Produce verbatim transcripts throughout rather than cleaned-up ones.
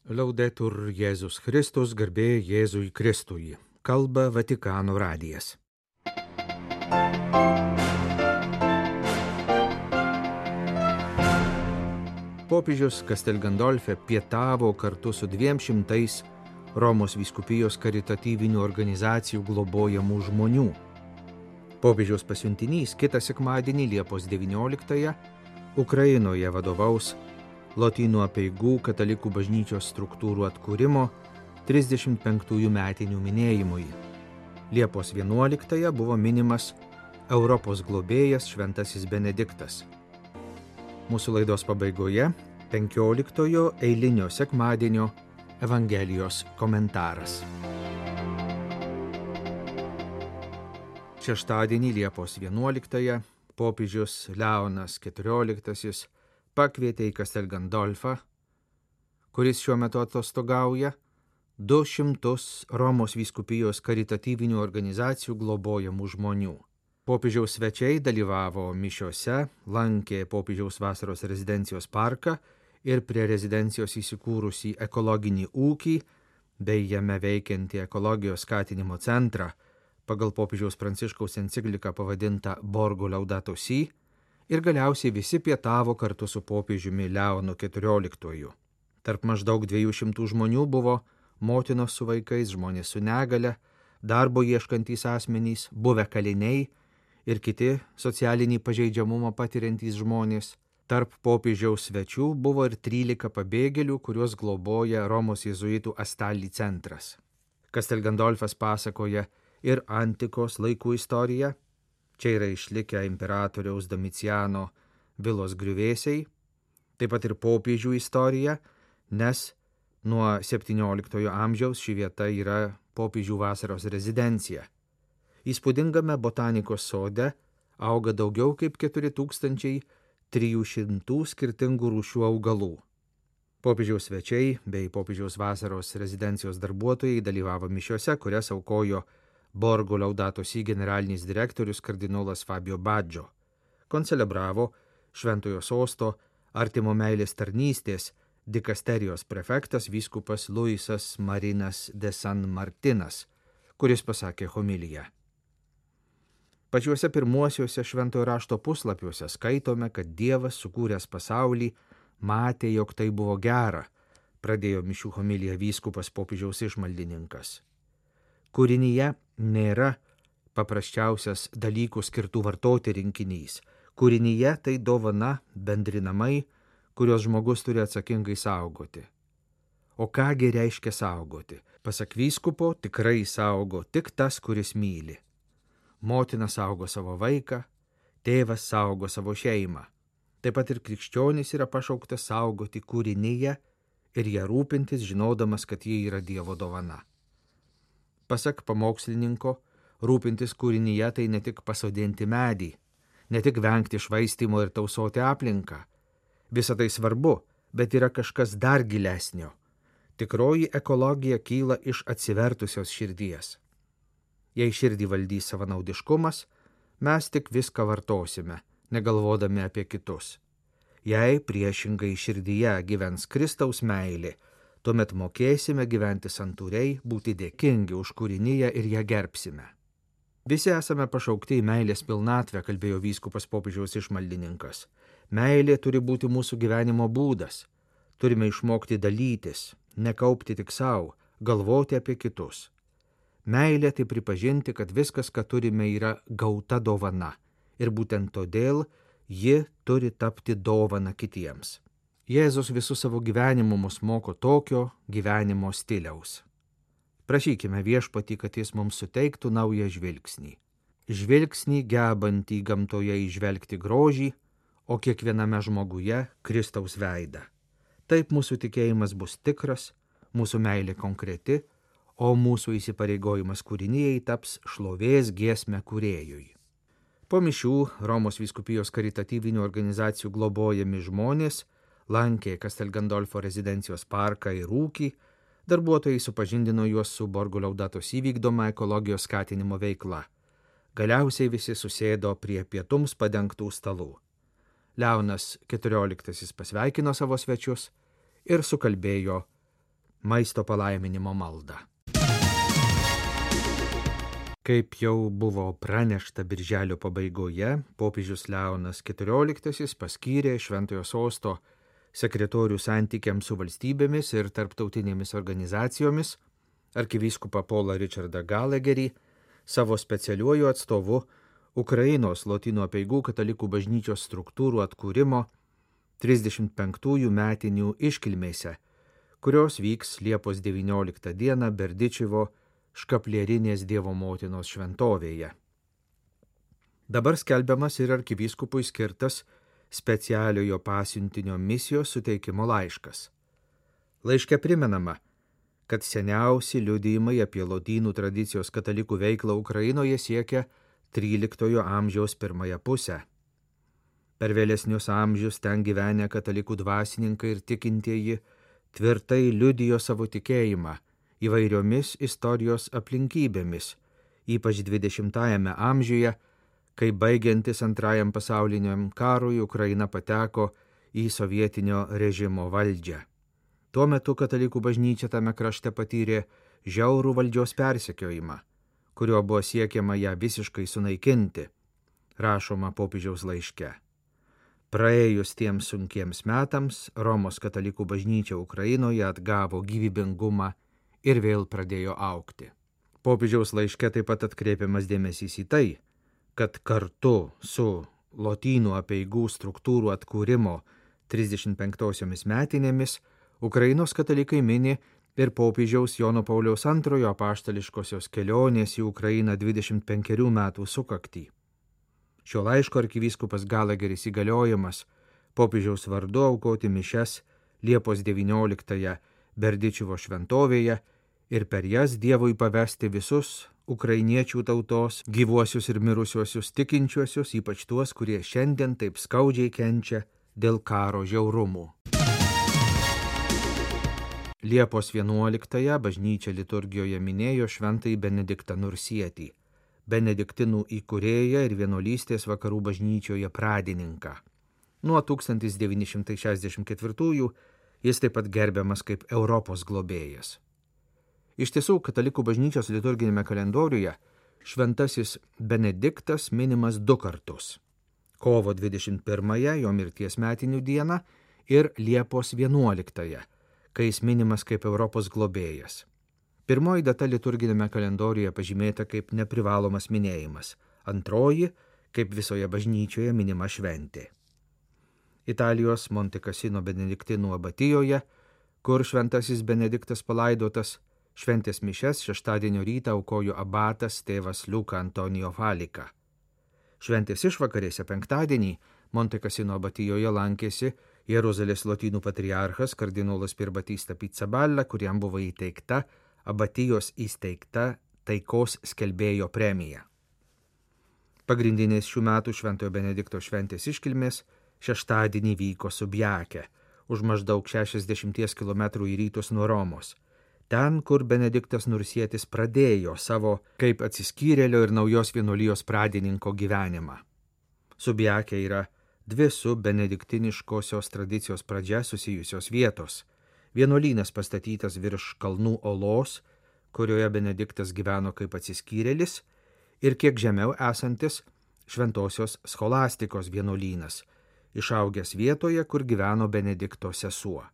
Laudetur Jėzus Kristus, garbė Jėzui Kristui. Kalba Vatikano radijas. Popiežius Castel Gandolfe pietavo kartu su dviem šimtais Romos vyskupijos karitatyvinių organizacijų globojamų žmonių. Popiežiaus pasiuntinys kitą sekmadienį Liepos devynioliktąją Ukrainoje vadovaus Lotynų apeigų katalikų bažnyčios struktūrų atkūrimo trisdešimt penktųjų metinių minėjimui. Liepos vienuoliktąją buvo minimas Europos globėjas Šventasis Benediktas. Mūsų laidos pabaigoje penkioliktojo eilinio sekmadienio Evangelijos komentaras. Šeštadienį Liepos vienuoliktąją popiežius Leonas keturioliktasis pakvietė į Castel Gandolfą, kuris šiuo metu atostogauja, du šimtus Romos vyskupijos karitatyvinių organizacijų globojamų žmonių. Popiežiaus svečiai dalyvavo mišiose, lankė popiežiaus vasaros rezidencijos parką ir prie rezidencijos įsikūrusį ekologinį ūkį bei jame veikiantį ekologijos skatinimo centrą pagal popiežiaus Pranciškaus encikliką pavadintą Borgo Laudato Si, ir galiausiai visi pietavo kartu su popiežiumi Leonu keturioliktuoju. Tarp maždaug dviejų šimtų žmonių buvo motinos su vaikais, žmonės su negale, darbo ieškantys asmenys, buvę kaliniai ir kiti socialinį pažeidžiamumą patiriantys žmonės. Tarp popiežiaus svečių buvo ir trylika pabėgėlių, kuriuos globoja Romos jėzuitų Astali centras. Castel Gandolfas pasakoja ir antikos laikų istoriją. Čia yra išlikę imperatoriaus Domiciano vilos griuvėsiai, taip pat ir popiežių istorija, nes nuo septynioliktojo amžiaus ši vieta yra popiežių vasaros rezidencija. Įspūdingame botanikos sode auga daugiau kaip keturi tūkstančiai trijų šimtų skirtingų rūšių augalų. Popiežiaus svečiai bei popiežiaus vasaros rezidencijos darbuotojai dalyvavo mišiose, kurias aukojo Borgo Laudato Si generalinis direktorius kardinolas Fabio Baggio. Koncelebravo Šventojo sosto artimo meilės tarnystės dikasterijos prefektas vyskupas Luisas Marinas de San Martinas, kuris pasakė homiliją. Pačiuose pirmuosiuose Šventojo rašto puslapiuose skaitome, kad Dievas sukūręs pasaulį matė, jog tai buvo gera, pradėjo mišių homiliją vyskupas popiežiaus išmaldininkas. Kūrinyje nėra paprasčiausias dalykų skirtų vartoti rinkinys. Kūrinyje tai dovana bendrinamai, kurios žmogus turi atsakingai saugoti. O kągi reiškia saugoti? Pasak vyskupo, tikrai saugo tik tas, kuris myli. Motina saugo savo vaiką, tėvas saugo savo šeimą. Taip pat ir krikščionis yra pašauktas saugoti kūrinyje ir ją rūpintis, žinodamas, kad ji yra Dievo dovana. Pasak pamokslininko, rūpintis kūrinyje tai ne tik pasodinti medį, ne tik vengti švaistymo ir tausoti aplinką. Visa tai svarbu, bet yra kažkas dar gilesnio. Tikroji ekologija kyla iš atsivertusios širdies. Jei širdį valdys savanaudiškumas, mes tik viską vartosime, negalvodami apie kitus. Jei priešingai širdyje gyvens Kristaus meilė, tuomet mokėsime gyventi santūriai, būti dėkingi už kūrinyje ir ją gerbsime. Visi esame pašaukti į meilės pilnatvę, kalbėjo vyskupas popiežiaus išmaldininkas. Meilė turi būti mūsų gyvenimo būdas. Turime išmokti dalytis, nekaupti tik savo, galvoti apie kitus. Meilė tai pripažinti, kad viskas, ką turime, yra gauta dovana ir būtent todėl ji turi tapti dovana kitiems. Jėzus visų savo gyvenimu mus moko tokio gyvenimo stiliaus. Prašykime Viešpatį, kad jis mums suteiktų naują žvilgsnį. Žvilgsnį gebantį gamtoje įžvelgti grožį, o kiekviename žmoguje Kristaus veidą. Taip mūsų tikėjimas bus tikras, mūsų meilė konkreti, o mūsų įsipareigojimas kūrinijai taps šlovės giesme kūrėjui. Po mišių Romos vyskupijos karitatyvinių organizacijų globojami žmonės lankė Castel Gandolfo rezidencijos parką ir ūkį, darbuotojai supažindino juos su Borgo Laudato Si vykdoma ekologijos skatinimo veikla. Galiausiai visi susėdo prie pietums padengtų stalų. Leonas keturioliktasis pasveikino savo svečius ir sukalbėjo maisto palaiminimo maldą. Kaip jau buvo pranešta birželio pabaigoje, popiežius Leonas keturioliktasis paskyrė Šventojo sosto sekretorių santykiams su valstybėmis ir tarptautinėmis organizacijomis arkivyskupą Paulą Richardą Gallagherį savo specialiuoju atstovu Ukrainos Lotynų apeigų katalikų bažnyčios struktūrų atkūrimo trisdešimt penktųjų metinių iškilmėse, kurios vyks Liepos devynioliktą dieną Berdičivo Škaplierinės Dievo motinos šventovėje. Dabar skelbiamas ir arkivyskupui skirtas specialiojo pasiuntinio misijos suteikimo laiškas. Laiške primenama, kad seniausi liudijimai apie lotynų tradicijos katalikų veiklą Ukrainoje siekia tryliktojo amžiaus pirmąją pusę. Per vėlesnius amžius ten gyvenę katalikų dvasininkai ir tikintieji tvirtai liudijo savo tikėjimą įvairiomis istorijos aplinkybėmis, ypač dvidešimtajame amžiuje, kai baigiantis antrajam pasauliniam karui Ukraina pateko į sovietinio režimo valdžią. Tuo metu katalikų bažnyčia tame krašte patyrė žiaurų valdžios persekiojimą, kuriuo buvo siekiama ją visiškai sunaikinti, rašoma popiežiaus laiške. Praėjus tiems sunkiems metams, Romos katalikų bažnyčia Ukrainoje atgavo gyvybingumą ir vėl pradėjo augti. Popiežiaus laiške taip pat atkreipiamas dėmesys į tai, kad kartu su Lotynų apeigų struktūrų atkūrimo trisdešimt penktosiomis metinėmis Ukrainos katalikai mini ir popiežiaus Jono Pauliaus antrojo apaštališkosios kelionės į Ukrainą dvidešimt penkerių metų sukaktį. Šio laiško arkivyskupas Gallagheris įgaliojimas popiežiaus vardu aukoti mišias Liepos devynioliktąją Berdičivo šventovėje ir per jas Dievui pavesti visus ukrainiečių tautos gyvuosius ir mirusiuosius tikinčiuosius, ypač tuos, kurie šiandien taip skaudžiai kenčia dėl karo žiaurumų. Liepos vienuoliktąją bažnyčia liturgijoje minėjo šventąjį Benediktą Nursietį, benediktinų įkūrėją ir vienuolystės vakarų bažnyčioje pradininką. Nuo tūkstantis devyni šimtai šešiasdešimt ketvirtųjų jis taip pat gerbiamas kaip Europos globėjas. Iš tiesų, katalikų bažnyčios liturginėme kalendoriuje šventasis Benediktas minimas du kartus – kovo dvidešimt pirmąją, jo mirties metinių dieną, ir Liepos vienuoliktąją, kai jis minimas kaip Europos globėjas. Pirmoji data liturginėme kalendoriuje pažymėta kaip neprivalomas minėjimas, antroji kaip visoje bažnyčioje minima šventė. Italijos Monte Cassino benediktinų abatijoje, kur šventasis Benediktas palaidotas, šventės mišias šeštadienio rytą aukojo abatas tėvas Luka Antonijo Falika. Šventės išvakarėse penktadienį Monte Cassino abatijoje lankėsi Jeruzalės lotynų patriarchas kardinolas Pierbatista Pizzaballa, kuriam buvo įteikta abatijos įsteigta taikos skelbėjo premija. Pagrindinės šių metų Šventojo Benedikto šventės iškilmės šeštadienį vyko Subjake, už maždaug šešiasdešimties kilometrų į rytus nuo Romos. Ten, kur Benediktas Nursietis pradėjo savo kaip atsiskyrėlio ir naujos vienuolijos pradininko gyvenimą. Subjake yra dvi su benediktiniškosios tradicijos pradžia susijusios vietos. Vienuolynas pastatytas virš kalnų olos, kurioje Benediktas gyveno kaip atsiskyrėlis, ir kiek žemiau esantis Šventosios Scholastikos vienuolynas, išaugęs vietoje, kur gyveno Benedikto sesuo.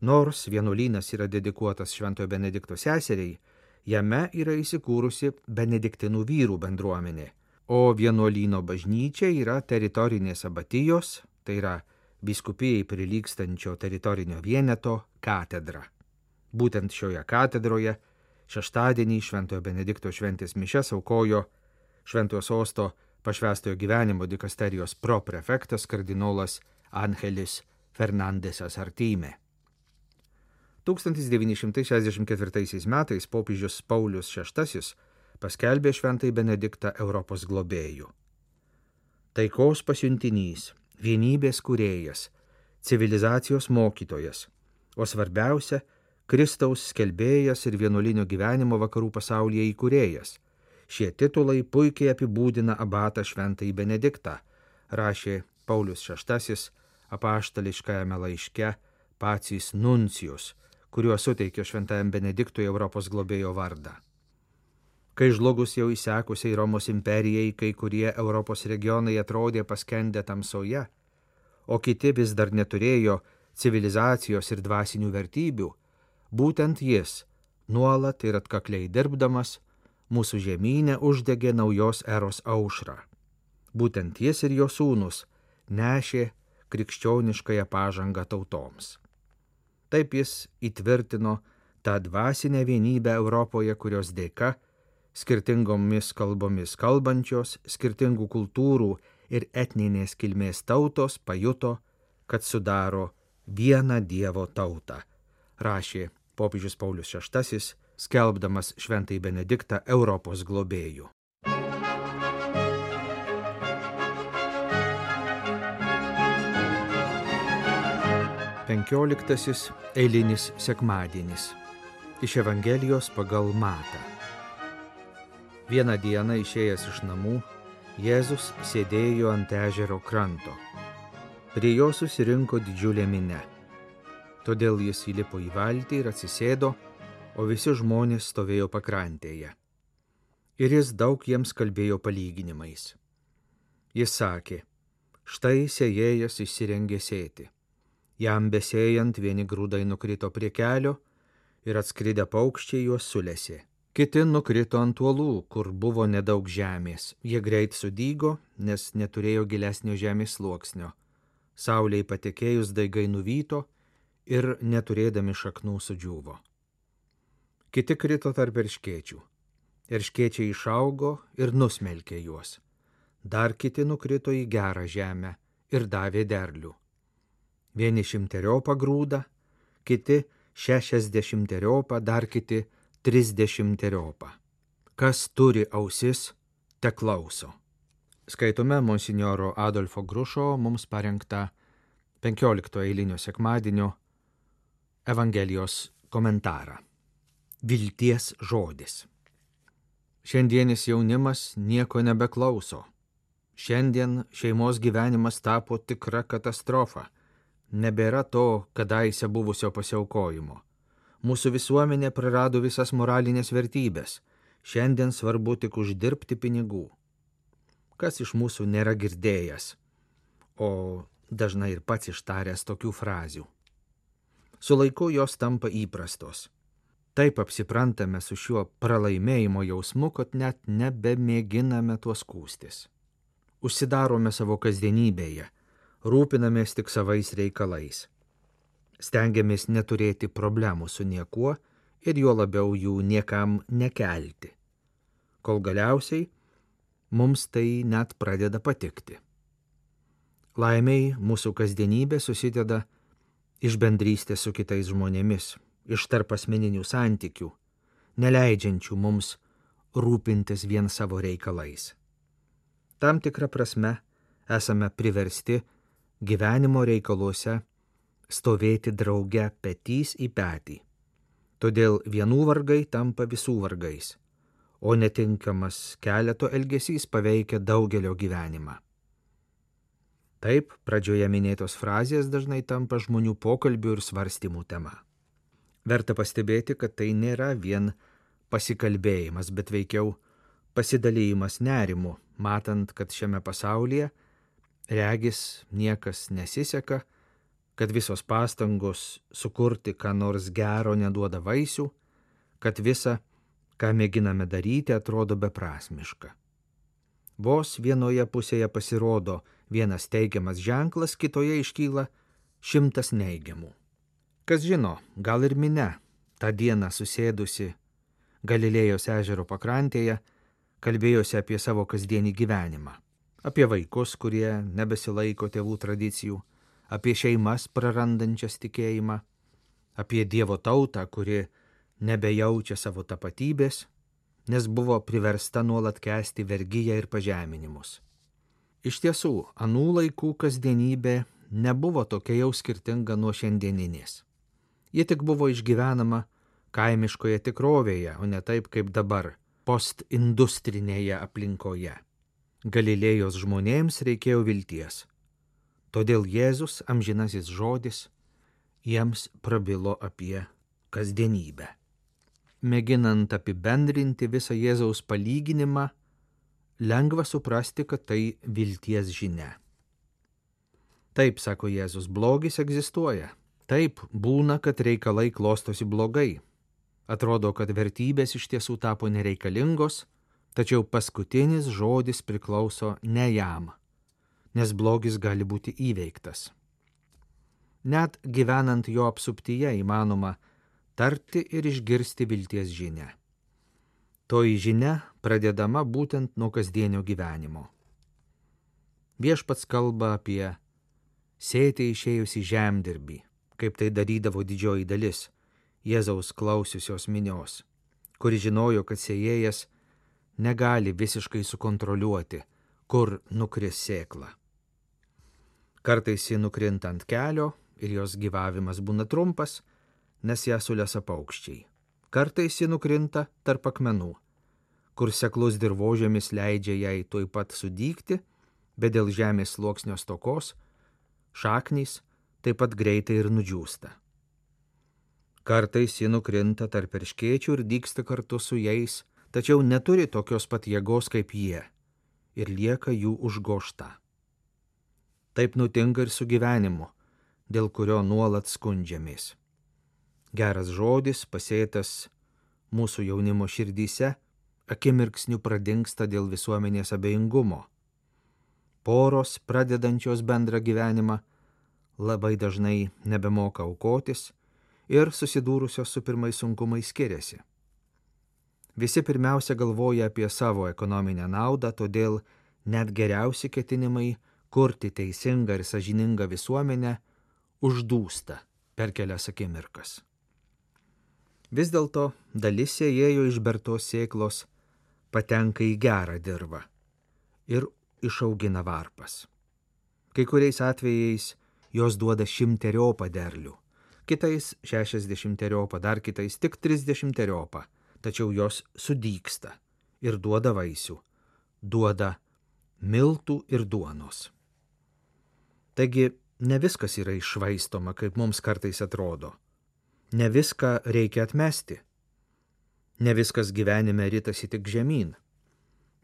Nors vienuolynas yra dedikuotas Šventojo Benedikto seseriai, jame yra įsikūrusi benediktinų vyrų bendruomenė, o vienuolyno bažnyčia yra teritorinės abatijos, tai yra vyskupijai prilygstančio teritorinio vieneto katedra. Būtent šioje katedroje šeštadienį Šventojo Benedikto šventės mišias aukojo Šventojo sosto pašvęstojo gyvenimo dikasterijos proprefektas kardinolas Angelis Fernandesas Artime. tūkstantis devyni šimtai šešiasdešimt ketvirtaisiais metais popiežius Paulius šeštasis paskelbė Šventąjį Benediktą Europos globėju. Taikos pasiuntinys, vienybės kūrėjas, civilizacijos mokytojas, o svarbiausia, Kristaus skelbėjas ir vienuolinio gyvenimo vakarų pasaulyje įkūrėjas. Šie titulai puikiai apibūdina abatą Šventąjį Benediktą, rašė Paulius šeštasis apaštališkajame laiške Pacis Nuncijus, kuriuo suteikė šventajam Benediktui Europos globėjo vardą. Kai žlugus jau įsekusiai Romos imperijai, kai kurie Europos regionai atrodė paskendę tamsoje, o kiti vis dar neturėjo civilizacijos ir dvasinių vertybių, būtent jis, nuolat ir atkakliai dirbdamas, mūsų žemynę uždegė naujos eros aušrą. Būtent jis ir jo sūnus nešė krikščioniškąją pažangą tautoms. Taip jis įtvirtino tą dvasinę vienybę Europoje, kurios dėka skirtingomis kalbomis kalbančios, skirtingų kultūrų ir etninės kilmės tautos pajuto, kad sudaro vieną Dievo tautą, rašė popiežius Paulius šeštasis, skelbdamas šventąjį Benediktą Europos globėju. Penkioliktasis eilinis sekmadienis iš Evangelijos pagal Matą. Vieną dieną išėjęs iš namų, Jėzus sėdėjo ant ežero kranto. Prie jo susirinko didžiulė minia. Todėl jis įlipo į valtį ir atsisėdo, o visi žmonės stovėjo pakrantėje. Ir jis daug jiems kalbėjo palyginimais. Jis sakė, štai sėjėjas išsirengė sėti. Jam besėjant vieni grūdai nukrito prie kelio ir atskridę paukščiai juos sulesė. Kiti nukrito ant uolų, kur buvo nedaug žemės. Jie greit sudygo, nes neturėjo gilesnio žemės sluoksnio. Saulei patekėjus daigai nuvyto ir neturėdami šaknų sudžiūvo. Kiti krito tarp erškėčių. Erškėčiai išaugo ir nusmelkė juos. Dar kiti nukrito į gerą žemę ir davė derlių. Vieni šimteriopą grūdą, kiti šešiasdešimteriopą, dar kiti trisdešimteriopą. Kas turi ausis, te klauso. Skaitome monsinjoro Adolfo Grušo mums parengtą penkiolikto eilinio sekmadienio Evangelijos komentarą. Vilties žodis. Šiandienis jaunimas nieko nebeklauso. Šiandien šeimos gyvenimas tapo tikra katastrofa. Nebėra to kadaise buvusio pasiaukojimo. Mūsų visuomenė prarado visas moralinės vertybės. Šiandien svarbu tik uždirbti pinigų. Kas iš mūsų nėra girdėjęs, o dažnai ir pats ištaręs tokių frazių. Su laiku jos tampa įprastos. Taip apsiprantame su šiuo pralaimėjimo jausmu, kad net nebemėginame tuo skųstis. Užsidarome savo kasdienybėje, rūpinamės tik savais reikalais. Stengiamės neturėti problemų su niekuo ir juo labiau jų niekam nekelti. Kol galiausiai mums tai net pradeda patikti. Laimiai mūsų kasdienybė susideda iš bendrystės su kitais žmonėmis, iš tarpasmeninių santykių, neleidžiančių mums rūpintis vien savo reikalais. Tam tikrą prasme esame priversti gyvenimo reikaluose stovėti drauge petys į petį. Todėl vienų vargai tampa visų vargais, o netinkamas keleto elgesys paveikia daugelio gyvenimą. Taip, pradžioje minėtos frazės dažnai tampa žmonių pokalbių ir svarstymų tema. Verta pastebėti, kad tai nėra vien pasikalbėjimas, bet veikiau pasidalymas nerimu, matant, kad šiame pasaulyje regis niekas nesiseka, kad visos pastangos sukurti ką nors gero neduoda vaisių, kad visa, ką mėginame daryti, atrodo beprasmiška. Vos vienoje pusėje pasirodo vienas teigiamas ženklas, kitoje iškyla šimtas neigiamų. Kas žino, gal ir minia, tą dieną susėdusi Galilėjos ežero pakrantėje, kalbėjosi apie savo kasdienį gyvenimą, apie vaikus, kurie nebesilaiko tėvų tradicijų, apie šeimas prarandančias tikėjimą, apie Dievo tautą, kuri nebejaučia savo tapatybės, nes buvo priversta nuolat kęsti vergiją ir pažeminimus. Iš tiesų, anų laikų kasdienybė nebuvo tokia jau skirtinga nuo šiandieninės. Ji tik buvo išgyvenama kaimiškoje tikrovėje, o ne taip kaip dabar, postindustrinėje aplinkoje. Galilėjos žmonėms reikėjo vilties. Todėl Jėzus, amžinasis žodis, jiems prabilo apie kasdienybę. Mėginant apibendrinti visą Jėzaus palyginimą, lengva suprasti, kad tai vilties žinia. Taip, sako Jėzus, blogis egzistuoja. Taip, būna, kad reikalai klostosi blogai. Atrodo, kad vertybės iš tiesų tapo nereikalingos, tačiau paskutinis žodis priklauso ne jam, nes blogis gali būti įveiktas. Net gyvenant jo apsuptyje įmanoma tarti ir išgirsti vilties žinią. Toji žinia pradedama būtent nuo kasdienio gyvenimo. Viešpats kalba apie sėti išėjusi žemdirbį, kaip tai darydavo didžioji dalis Jėzaus klausiusios minios, kuri žinojo, kad sėjėjas negali visiškai sukontroliuoti, kur nukris sėkla. Kartais ji nukrinta ant kelio ir jos gyvavimas būna trumpas, nes ją sulesa paukščiai. Kartais ji nukrinta tarp akmenų, kur seklus dirvožemis leidžia jai tuoj pat sudygti, bet dėl žemės sluoksnio stokos šaknys taip pat greitai ir nudžiūsta. Kartais ji nukrinta tarp erškėčių ir dygsta kartu su jais, tačiau neturi tokios pat jėgos kaip jie ir lieka jų užgožta. Taip nutinka ir su gyvenimu, dėl kurio nuolat skundžiamės. Geras žodis, pasėtas mūsų jaunimo širdyse, akimirksniu pradingsta dėl visuomenės abejingumo. Poros, pradedančios bendrą gyvenimą, labai dažnai nebemoka aukotis ir susidūrusios su pirmais sunkumais skiriasi. Visi pirmiausia galvoja apie savo ekonominę naudą, todėl net geriausi ketinimai kurti teisingą ir sąžiningą visuomenę uždūsta per kelias akimirkas. Vis dėlto dalis sėjėjo išbertos sėklos patenka į gerą dirvą ir išaugina varpas. Kai kuriais atvejais jos duoda šimteriopą derlių, kitais šešiasdešimteriopą, dar kitais tik trisdešimteriopą, tačiau jos sudygsta ir duoda vaisių, duoda miltų ir duonos. Taigi ne viskas yra iššvaistoma, kaip mums kartais atrodo. Ne viską reikia atmesti. Ne viskas gyvenime ritasi tik žemyn.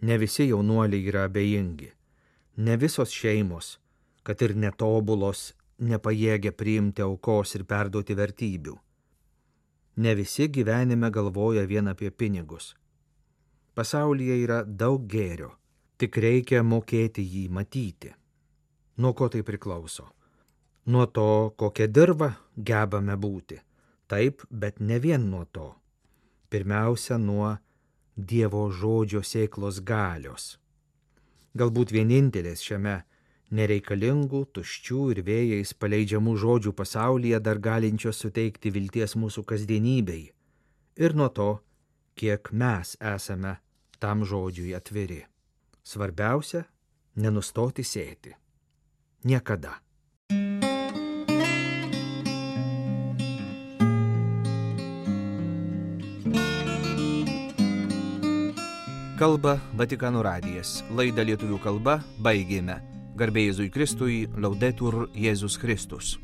Ne visi jaunuoliai yra abejingi. Ne visos šeimos, kad ir netobulos, nepajėgia priimti aukos ir perduoti vertybių. Ne visi gyvenime galvoja vien apie pinigus. Pasaulyje yra daug gėrio, tik reikia mokėti jį matyti. Nuo ko tai priklauso? Nuo to, kokią dirvą gebame būti. Taip, bet ne vien nuo to. Pirmiausia, nuo Dievo žodžio sėklos galios. Galbūt vienintelės šiame nereikalingų, tuščių ir vėjais paleidžiamų žodžių pasaulyje dar galinčios suteikti vilties mūsų kasdienybei. Ir nuo to, kiek mes esame tam žodžiui atviri. Svarbiausia, nenustoti sėti. Niekada. Kalba Vatikano radijas. Laidą lietuvių kalba baigėme. Garbė Jėzui Kristui, Laudetur Jėzus Kristus.